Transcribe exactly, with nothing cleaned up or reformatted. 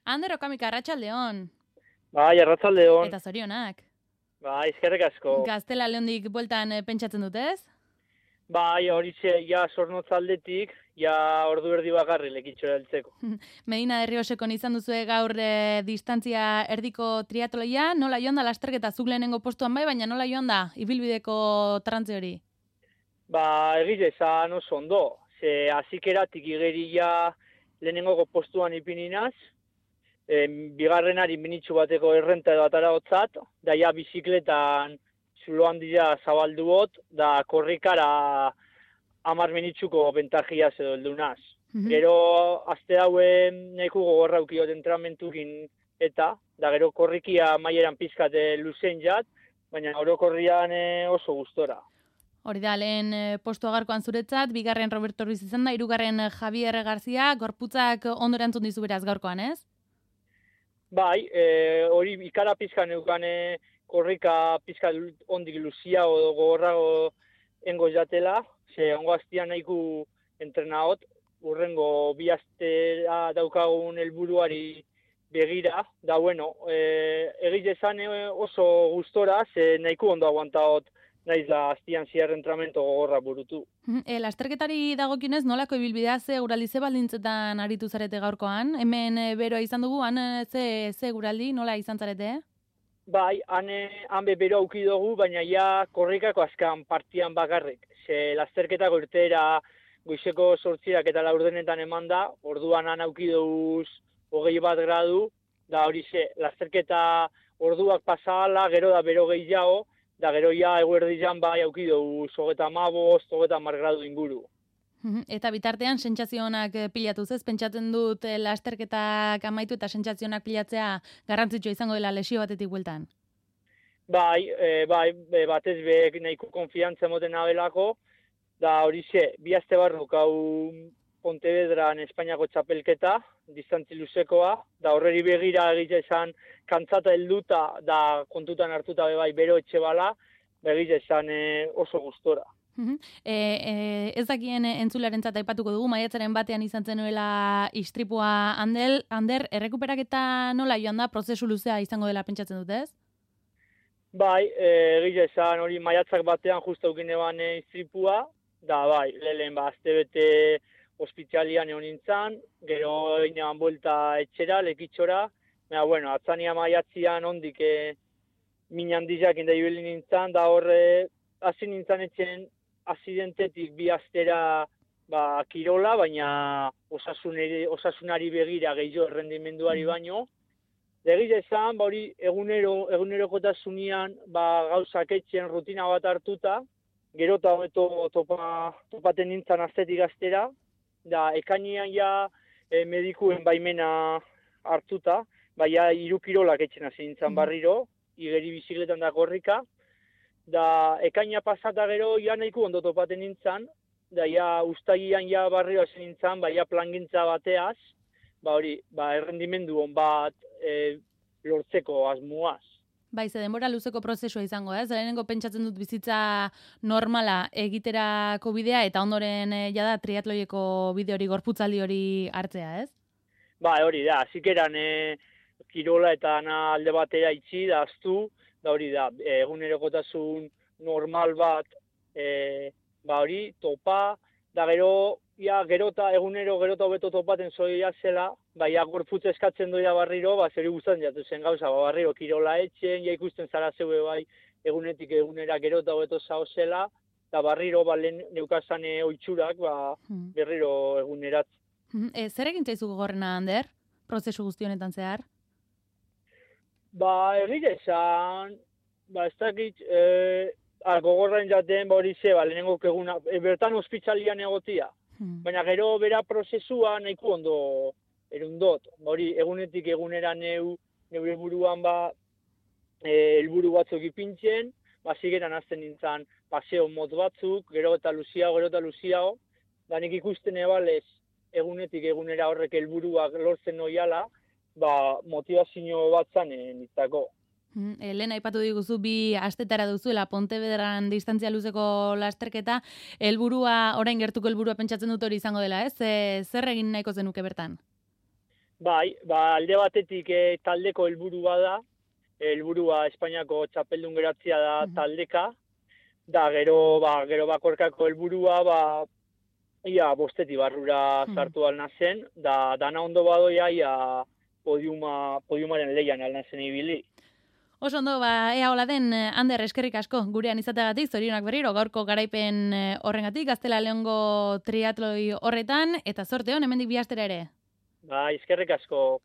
Ander Okamika, arratsaldeon. Bai, arratsaldeon. Eta zorionak. Bai, eskerrik asko. Gaztela Leondik bueltan eh, pentsatzen dut, ez? Bai, horixe, ja Zornotzaldetik, ja ordu erdi bakarri lekitxora heltzeko. Medina de Riosekon izan duzue gaur e, distantzia erdiko triatloia, nola joan da lasterketa zuk lehenengo postuan bai, baina nola joan da ibilbideko trantze hori? Ba, egiz esan oso ondo, ze azikeratik igeria lehenengo postuan ipininaz, e, bigarrenari minitxu bateko errenta edo atara hotzat, da ja bizikletan zulo handia zabalduot, da korrikara hamar minitxuko bentajia edo heldunaz. Mhm. Gero, azte hauen nahiko gogorra ukiot entramentukin eta, da gero korrikia maieran pizkate luzen jat, baina orokorrian eh, oso gustora. Hori da, lehen eh, postu agarkoan zuretzat, bigarren Roberto Ruiz izan da, hirugarren eh, Javier Garzia, gorputzak ondo erantzun dizu beraz gaurkoan, ez? Bai, eh, hori ikara pizkan eukane korrika pizka ondik luzia o gogorrago engo jatela, ze ongo aztian nahiku entrenaot, urrengo bi astera daukagun helburuari begira, da bueno, eh, egiz esan eh, oso gustora, ze nahiku ondo aguantaot naiz da aztian ziar entrenamento gogorra burutu. E, lasterketari dagokinez nolako ibilbidea ze guraldi ze baldintzetan aritu zarete gaurkoan? Hemen e, beroa izan dugu, han e, ze, ze guraldi nola izan zarete? Bai, han, han bebero auki dugu, baina ja korrikako azkan partian bakarrik. Ze lasterketako irteera goizeko sortziak eta laurdenetan eman da, orduan han auki duguz hogei bat gradu, da hori ze, lasterketa orduak pasala, gero da bero gehiago, da gero ja eguerdian bai auki duguz hogeta amabost, hogeta hamar gradu inguru. Eta bitartean sentsazionak pilatuz ez, pentsatzen dut eh, lasterketak amaitu eta sentsazionak pilatzea garrantzitsua izango dela lesio batetik bueltan. Bai, e, bai, e, batez be nahiko konfiantza emoten abelako, da hori ze, bi aste barruk hau Pontevedran Espainiako txapelketa, distantzi luzekoa, da horreri begira egite esan kantzata helduta, da kontutan hartuta be bai bero etxe bala, begite esan e, oso gustora. E, e, ez dakien entzularentzat aipatuko dugu, maiatzaren batean izan zenuela istripua handel, Ander, errekuperaketa nola joan da, prozesu luzea izango dela pentsatzen dut, ez? Bai, egia esan hori maiatzak batean justa ukin eban istripua, da bai, lehen ba, azte bete ospitalian egon nintzen, gero inean buelta etxera, lekitxora, baina, bueno, atzania maiatzian ondik e, min handizak inda ibili nintzen, da horre, hasi nintzen etxen azidentetik bi astera ba, kirola, baina osasunari, osasunari begira gehiago errendimenduari baino. Egia esan, ba, hori egunero, egunerokotasunean ba, gauzak etxen rutina bat hartuta, gero eta hobeto topa, topaten nintzen astetik astera, da ekainean ja e, medikuen baimena hartuta, baina hiru kirolak etxen hasi nintzen barriro, igeri bizikletan da korrika, da ekaina pasata gero ja nahiko ondo topaten nintzen, da ja ustagian ja barrio hasi nintzen, ba ja plangintza bateaz, ba hori, ba errendimendu on bat e, lortzeko asmoaz. Bai, ze denbora luzeko prozesua izango, ez? Lehenengo pentsatzen dut bizitza normala egiterako bidea eta ondoren e, jada triatloieko bide hori, gorputzaldi hori hartzea, ez? Ba, hori da, zikeran e, kirola eta ana alde batera itxi da aztu, da hori da, egunerokotasun normal bat, e, ba hori, topa, da gero, ja, gerota, egunero gerota hobeto topaten zoia zela, ba, ja, gorputz eskatzen doia barriro, ba, zeri guztan jatu zen gauza, ba, barriro, kirola etxen, ja ikusten zara zeue bai, egunetik egunera gerota hobeto zao zela, eta barriro, ba, lehen neukazan oitxurak, ba, berriro egunerat. E, zer egin zaizu gogorrena, Ander, prozesu guzti honetan zehar? Ba, egite esan, ba, ez dakit, e, gogorren jaten, ba, hori ze, ba, lehenengo eguna, e, bertan ospitalian egotia. Hmm. Baina gero bera prozesua nahiko ondo erundot. Ba, hori, egunetik egunera neu, neure buruan, ba, e, helburu batzuk ipintzen, ba, zigeran azten nintzen paseo mot batzuk, gero eta luziago, gero eta luziago, da nik ikusten ebalez, egunetik egunera horrek helburuak lortzen noiala, ba, motivazio bat zanen itzako. E, lehen aipatu diguzu bi astetara duzuela Pontevedran distantzia luzeko lasterketa, helburua orain gertuko helburua pentsatzen dut hori izango dela, ez? E, zer egin nahiko zenuke bertan? Bai, ba, alde batetik e, taldeko helburua da, helburua Espainiako txapeldun geratzea da taldeka, da gero, ba, gero bakorkako helburua, ba, ia bostetik barrura sartu alna zen, da dana ondo badoia, ia podiuma, podiumaren leian alna zen ibili. Oso ondo, ba, ea hola den, Ander, eskerrik asko, gurean izateagatik, zorionak berriro, gaurko garaipen horrengatik, Gaztela Leongo triatloi horretan, eta zorte hon, hemendik bi astera ere. Ba, eskerrik asko.